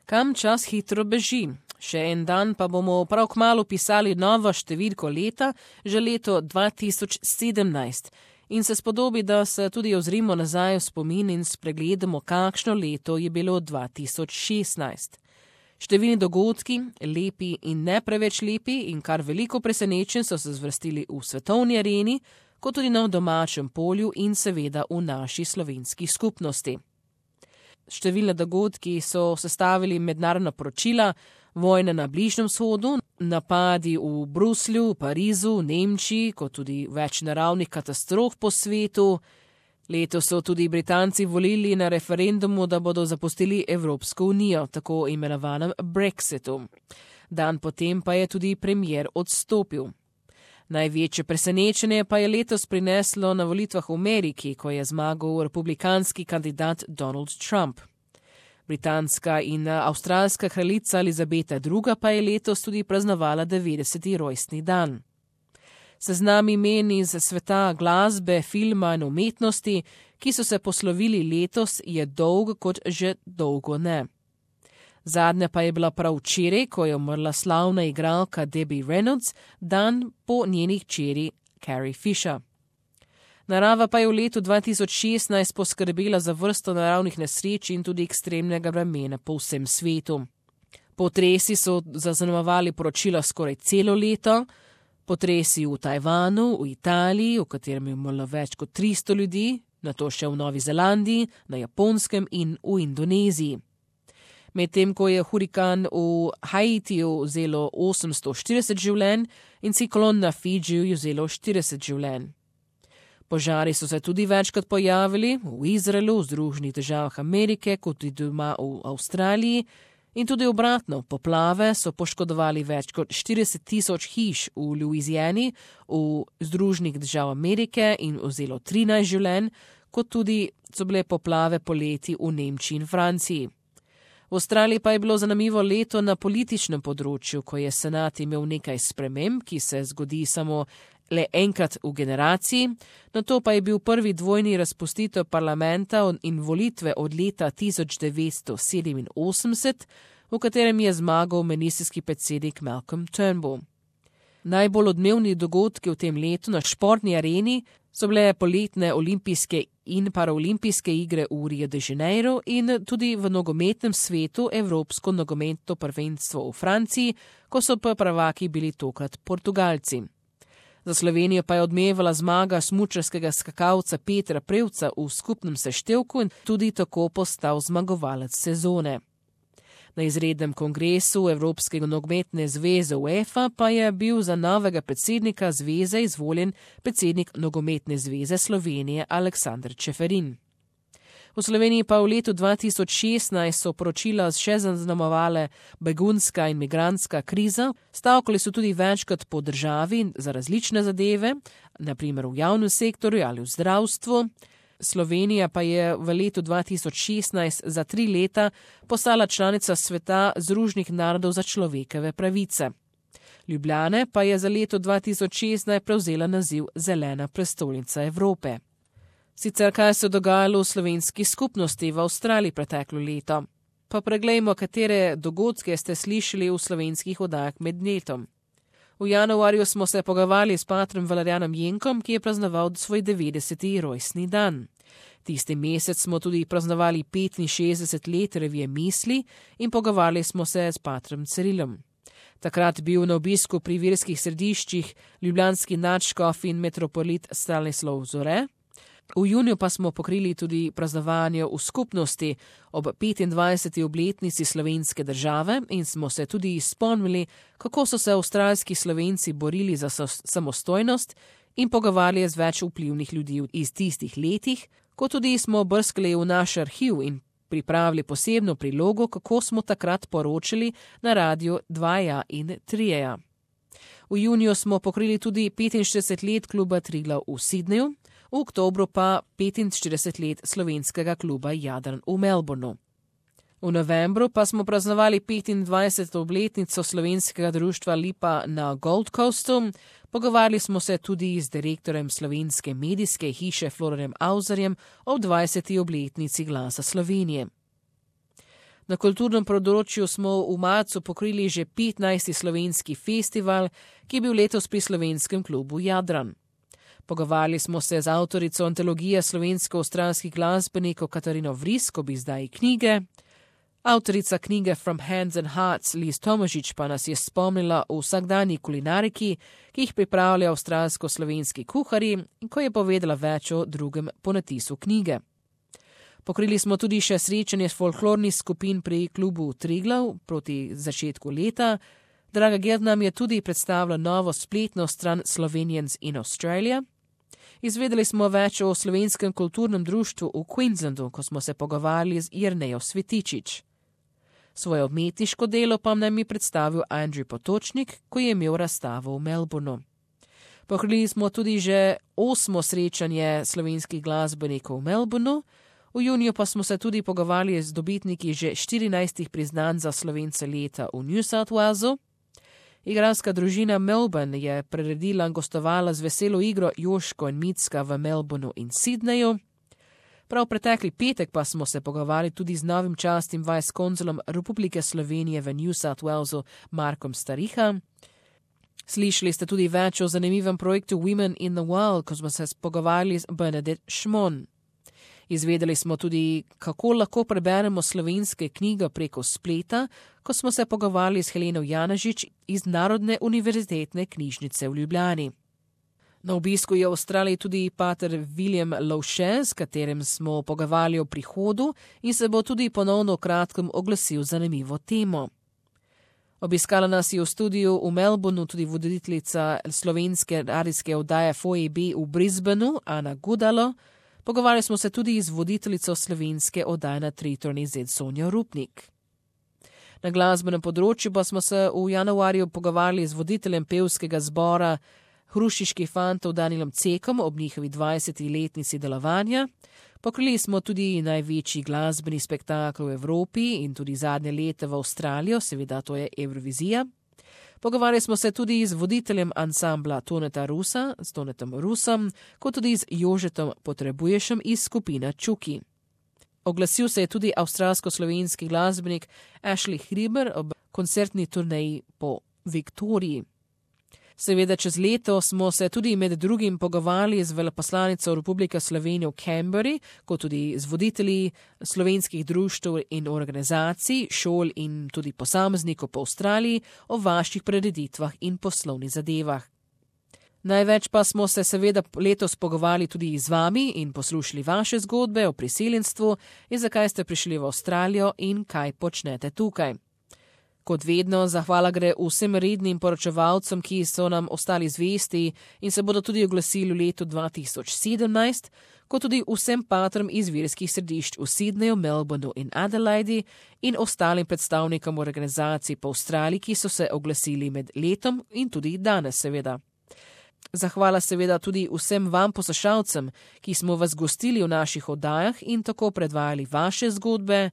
Kam čas hitro beži? Še en dan pa bomo prav kmalu pisali novo številko leta, že leto 2017. In se spodobi, da se tudi ozrimo nazaj v spomin in spregledamo, kakšno leto je bilo 2016. Številni dogodki, lepi in ne preveč lepi in kar veliko presenečenj so se zvrstili v svetovni areni, kot tudi na domačem polju in seveda v naši slovenski skupnosti. Številne dogodki so sestavili mednarodna poročila, vojne na Bližnjem vzhodu, napadi v Bruslju, Parizu, Nemčiji, kot tudi več naravnih katastrof po svetu. Letos so tudi Britanci volili na referendumu, da bodo zapustili Evropsko unijo, tako imenovanem Brexitu. Dan potem pa je tudi premier odstopil. Največje presenečenje pa je letos prineslo na volitvah v Ameriki, ko je zmagal republikanski kandidat Donald Trump. Britanska in avstralska kraljica Elizabeta II. Pa je letos tudi praznovala 90. rojstni dan. Seznam imen iz sveta glasbe, filma in umetnosti, ki so se poslovili letos, je dolg kot že dolgo ne. Zadnja pa je bila prav včeraj, ko je umrla slavna igralka Debbie Reynolds, dan po njeni hčeri Carrie Fisher. Narava pa je v letu 2016 poskrbela za vrsto naravnih nesreč in tudi ekstremnega vremena po vsem svetu. Potresi so zaznamovali poročila skoraj celo leto, potresi v Tajvanu, v Italiji, v katerem je umrlo več kot 300 ljudi, nato še v Novi Zelandiji, na Japonskem in v Indoneziji. Medtem ko je hurikan v Haitiju vzelo 840 življenj in ciklon na Fidžiju vzelo 40 življenj. Požari so se tudi večkrat pojavili v Izraelu, v Združenih državah Amerike, kot tudi doma v Avstraliji in tudi obratno, poplave so poškodovali več kot 40,000 hiš v Louisiani, v Združenih državah Amerike in vzelo 13 življenj, kot tudi so bile poplave poleti v Nemčiji in Franciji. V Avstraliji pa je bilo zanimivo leto na političnem področju, ko je senat imel nekaj sprememb, ki se zgodi samo le enkrat v generaciji, nato pa je bil prvi dvojni razpustitev parlamenta in volitve od leta 1987, v katerem je zmagal ministrski predsednik Malcolm Turnbull. Najbolj odmevni dogodki v tem letu na športni areni so bile poletne olimpijske in paraolimpijske igre v Rio de Janeiro in tudi v nogometnem svetu Evropsko nogometno prvenstvo v Franciji, ko so prvaki bili tokrat Portugalci. Za Slovenijo pa je odmevala zmaga smučarskega skakalca Petra Prevca v skupnem seštevku in tudi tako postal zmagovalec sezone. Na izrednem kongresu Evropske nogometne zveze UEFA pa je bil za novega predsednika zveze izvoljen predsednik Nogometne zveze Slovenije Aleksander Čeferin. V Sloveniji pa v letu 2016 so poročila še zaznamovale begunska in migrantska kriza, stavkali so tudi večkrat po državi za različne zadeve, naprimer v javnem sektorju ali v zdravstvu. Slovenija pa je v letu 2016 za 3 leta postala članica sveta Združenih narodov za človekove pravice. Ljubljana pa je za leto 2016 prevzela naziv Zelena prestolnica Evrope. Sicer kaj se je dogajalo v slovenski skupnosti v Avstraliji preteklo leto? Pa preglejmo, katere dogodke ste slišali v slovenskih oddajah med letom. V januarju smo se pogovarjali s patrom Valerijanom Jenkom, ki je praznoval svoj 90. rojstni dan. Tisti mesec smo tudi praznovali 65 let revije Misli in pogovarjali smo se s patrom Cirilom. Takrat bil na obisku pri verskih središčih ljubljanski nadškof in metropolit Stanislav Zore. V juniju pa smo pokrili tudi praznovanje v skupnosti ob 25. obletnici slovenske države in smo se tudi spomnili, kako so se avstralski Slovenci borili za samostojnost in pogovarjali z več vplivnih ljudi iz tistih letih, kot tudi smo brskali v naš arhiv in pripravili posebno prilogo, kako smo takrat poročali na radiju 2 in 3. V juniju smo pokrili tudi 65 let kluba Triglav v Sydneyju, v oktobru pa 45 let slovenskega kluba Jadran v Melbourneu. V novembru pa smo praznovali 25. obletnico slovenskega društva Lipa na Gold Coastu, pogovarjali smo se tudi z direktorjem slovenske medijske hiše Florjem Avzarjem ob 20. obletnici Glasa Slovenije. Na kulturnem področju smo v marcu pokrili že 15. slovenski festival, ki je bil letos pri slovenskem klubu Jadran. Pogovarjali smo se z avtorico antologije slovensko-avstralskih glasbenikov Katarino Vrisk ob izdaji knjige. Avtorica knjige From Hands and Hearts Liz Tomažič pa nas je spomnila o vsakdanji kulinariki, ki jih pripravljajo avstralsko-slovenski kuharji, in ko je povedala več o drugem ponatisu knjige. Pokrili smo tudi še srečanje folklornih skupin pri klubu Triglav proti začetku leta. Draga Gerd nam je tudi predstavila novo spletno stran Slovenians in Australia. Izvedeli smo več o slovenskem kulturnem društvu v Queenslandu, ko smo se pogovarjali z Jernejo Svetičič. Svoje umetniško delo pa nam je predstavil Andrew Potočnik, ko je imel razstavo v Melbourneu. Pokrili smo tudi že 8. srečanje slovenskih glasbenikov v Melbourneu. V juniju pa smo se tudi pogovarjali z dobitniki že 14 priznanj za Slovence leta v New South Walesu. Igralska družina Melbourne je priredila in gostovala z veselo igro Joško in Micka v Melbourneu in Sydneyju. Prav pretekli petek pa smo se pogovarjali tudi z novim častnim vice-konzulom Republike Slovenije v New South Walesu Markom Stariha. Slišali ste tudi več o zanimivem projektu Women in the Wild, ko smo se pogovarjali z Bernadette Šmon. Izvedeli smo tudi, kako lahko preberemo slovenske knjige preko spleta, ko smo se pogovarjali s Heleno Janažič iz Narodne univerzitetne knjižnice v Ljubljani. Na obisku je v Avstraliji tudi pater William Lovše, s katerim smo pogovarjali o prihodu in se bo tudi ponovno v kratkem oglasil zanimivo temo. Obiskala nas je v studiu v Melbourneu tudi voditeljica slovenske radijske oddaje FOEB v Brisbaneu, Ana Gudalo. Pogovarjali smo se tudi z voditeljico slovenske oddaje na Tritorni Z Sonjo Rupnik. Na glasbenem področju pa smo se v januarju pogovarjali z voditeljem pevskega zbora Hrušiških fantov Danielom Cekom ob njihovi 20. letnici delovanja. Pokrili smo tudi največji glasbeni spektakel v Evropi in tudi zadnje leta v Avstralijo, seveda to je Evrovizija. Pogovarjali smo se tudi z voditeljem ansambla Toneta Rusa, s Tonetom Rusom, kot tudi z Jožetom Potrebuješem iz skupine Čuki. Oglasil se je tudi avstralsko-slovenski glasbenik Ashley Hriber ob koncertni turneji po Viktoriji. Seveda čez leto smo se tudi med drugim pogovarjali z veleposlanico Republike Slovenije v Canberri, kot tudi z voditelji slovenskih društev in organizacij, šol in tudi posameznikov po Avstraliji o vaših prireditvah in poslovnih zadevah. Največ pa smo se seveda letos pogovarjali tudi z vami in poslušali vaše zgodbe o priseljenstvu in zakaj ste prišli v Avstralijo in kaj počnete tukaj. Kot vedno, zahvala gre vsem rednim poročevalcem, ki so nam ostali zvesti in se bodo tudi oglasili v letu 2017, kot tudi vsem patrom iz verskih središč v Sydneyju, Melbourneu in Adelaidi in ostalim predstavnikom organizacij po Avstraliji, ki so se oglasili med letom in tudi danes seveda. Zahvala seveda tudi vsem vam poslušalcem, ki smo vas gostili v naših oddajah in tako predvajali vaše zgodbe.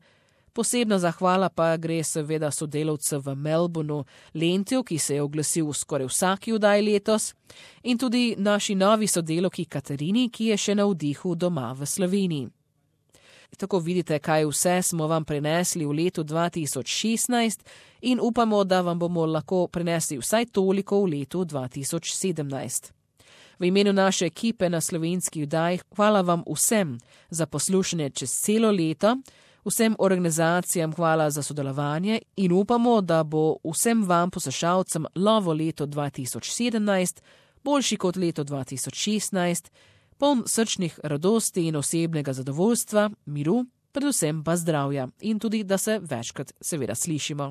Posebna zahvala pa gre seveda sodelavcu v Melbourneu Lentiju, ki se je oglasil v skoraj vsaki oddaji letos, in tudi naši novi sodelavki Katarini, ki je še na vdihu doma v Sloveniji. Tako vidite, kaj vse smo vam prinesli v letu 2016 in upamo, da vam bomo lahko prinesli vsaj toliko v letu 2017. V imenu naše ekipe na slovenskih oddajah hvala vam vsem za poslušanje čez celo leto, vsem organizacijam hvala za sodelovanje in upamo, da bo vsem vam poslušalcem novo leto 2017 boljši kot leto 2016, poln srčnih radosti in osebnega zadovoljstva, miru, predvsem pa zdravja in tudi, da se večkrat seveda slišimo.